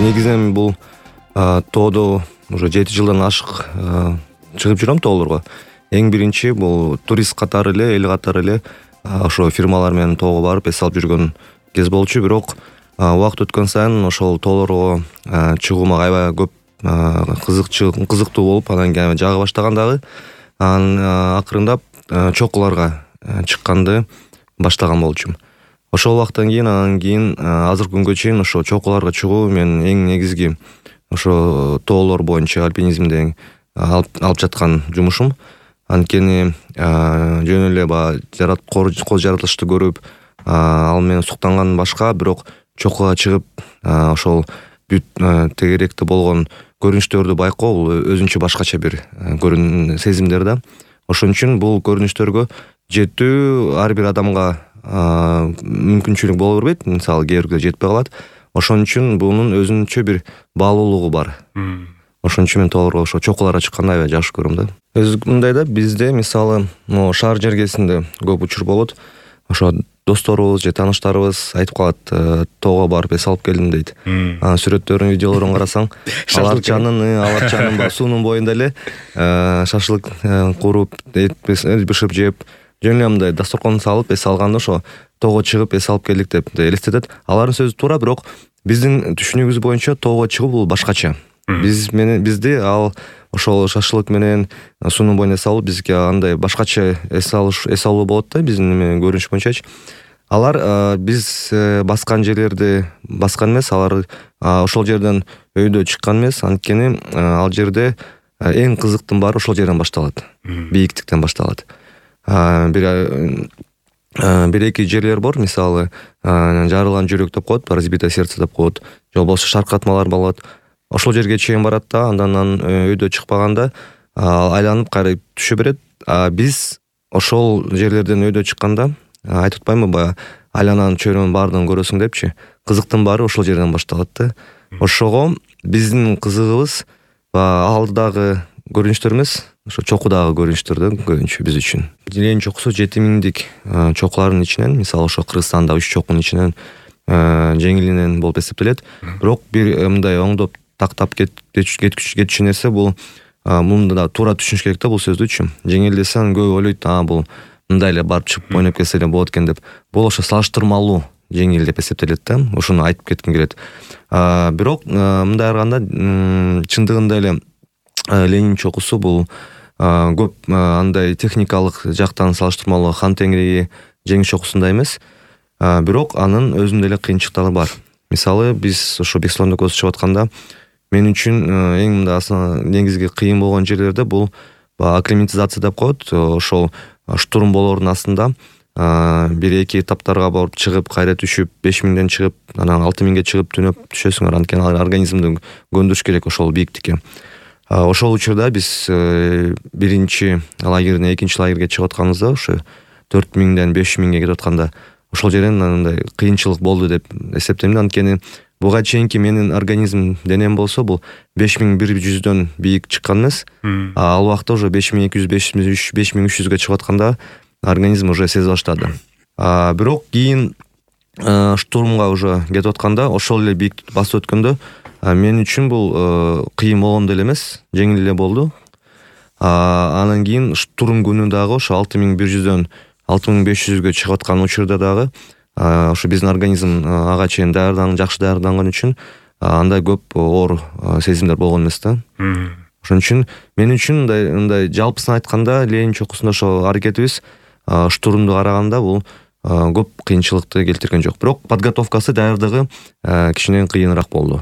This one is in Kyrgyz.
негизинен бул тоодо уже 7 жылдан ашык чыгып жүрөм тоолорго. Эң биринчи бул турист катары эле, эл катары эле ошо фирмалар менен тоого барып эс алып жүргөн кез болчу. Бирок убакыт өткөн сайын ошол тоолорго чыгуума аябай көп кызыктуу болуп, анан кийин жага баштаган дагы. Анан акырындап чокуларга чыкканды баштаган болчумун. Ошол убакыттан кийин анан кийин азыркы күнгө чейин ошо чокуларга чыгуу менин эң негизги ошо тоолор боюнча альпинизмде алып жаткан жумушум. Анткени жөн эле кол жаратылышты көрүп, ал менен суктанган башка, бирок чокуга чыгып ошол бүт тегеректе болгон көрүнүштөрдү байкоо бул өзүнчө башкача бир сезимдер да. Ошон үчүн бул көрүнүштөргө жетүү ар бир адамга мүмкүнчүлүк боло бербейт. Мисалы кээ бирге жетпей калат. Ошон үчүн бунун өзүнчө бир баалуулугу бар. Ошон үчүн мен тоолорго ошо чокуларга чыкканды аябай жакшы көрөм да. Мындай да, бизде мисалы могу шаар жергесинде көп учур болот. Ошо досторубуз же тааныштарыбыз айтып калат, тоого барып эс алып келдим дейт. Анан сүрөттөрүн, видеолорун карасаң, аларчанын суунун боюнда эле шашлык куруп, эт бышырып жеп, жөн эле мындай дасторкон салып эс алганды ошо тоого чыгып эс алып келдик деп элестетет. Алардын сөзү туура, бирок биздин түшүнүгүбүз боюнча тоого чыгуу бул башкача. Бизди ал ошол шашлык менен суунун боюнда эс алуу бизге андай башкача эс алуу болот да, биздин көрүнүш боюнчачы. Алар биз баскан жерлерди баскан эмес, алар ошол жерден өйдө чыккан эмес. Анткени ал жерде эң кызыктын баары ошол жерден башталат. Бийиктиктен башталат. Бир эки жерлер бар, мисалы жарылган жүрөк деп коет, разбитое сердце деп коет, же болбосо шаркыратмалар болот. Ошол жерге чейин барат да, андан өйдө чыкпаганда айланып кайра түшө берет. Биз ошол жерлерден өйдө чыкканда айтып атпаймынбы, баягы айлананын чөйрөнүн баардыгын көрөсүң депчи. Кызыктын баары ошол жерден башталат да. Ошого биздин кызыгыбыз алдыдагы көрүнүштөр эмес, ошо чокудагы көрүнүштөр да көбүнчө биз үчүн. Ленин чокусу 7000дик чокулардын ичинен, мисалы ошо Кыргызстанда 3 чокунун ичинен жеңилинен болуп эсептелет. Бирок бир мындай оңдоп тактап кетчү нерсе бул, муну да туура түшүнүш керек да бул сөздүчү. Жеңил десе анан көп ойлойт, бул мындай эле барып чыгып ойноп келсе эле болот экен деп. Бул ошо салыштырмалуу жеңил деп эсептелет да. Ошону айтып кетким келет. Бирок мындай караганда чындыгында эле Ленин чокусу бул көп андай техникалык жактан салыштырмалуу Хан Теңири жеңиш чокусундай эмес. Бирок анын өзүндө эле кыйынчылыктары бар. Мисалы биз ошо Бексултан өлкөсү чыгып атканда мен үчүн эң мындай негизги кыйын болгон жерлерде бул акклиматизация деп коет. Ошол штурм болоордун астында бир эки этаптарга барып чыгып, кайра түшүп, 5000ден чыгып, анан 6000ге чыгып түнөп түшөсүңөр. Анткени организмди көндүрүш керек ошол бийиктикке. Ошол учурда биз биринчи лагерден экинчи лагерге чыгып атканыбызда ошо 4000ден 5000ге кетип атканда ошол жерден мындай кыйынчылык болду деп эсептейм. Анткени буга чейинки менин организм денем болсо бул 5100дөн бийик чыккан эмес. Ал убакта уже 5200, 5300ге чыгып атканда организм уже сезе баштады. Бирок кийин штурмга уже кетип атканда ошол эле бийиктикти басып өткөндө мен үчүн бул кыйын болгондой эле эмес, жеңил эле болду. Анан кийин штурм күнү дагы ошо 6100дөн 6500ге чыгып аткан учурда дагы ошо биздин организм ага чейин жакшы даярданган үчүн андай көп оор сезимдер болгон эмес да. Ошон үчүн мен үчүн мындай жалпысын айтканда Ленин чокусунда ошо аракетибиз штурмду караганда бул көп кыйынчылыкты келтирген жок. Бирок подготовкасы, даярдыгы кичине кыйыныраак болду.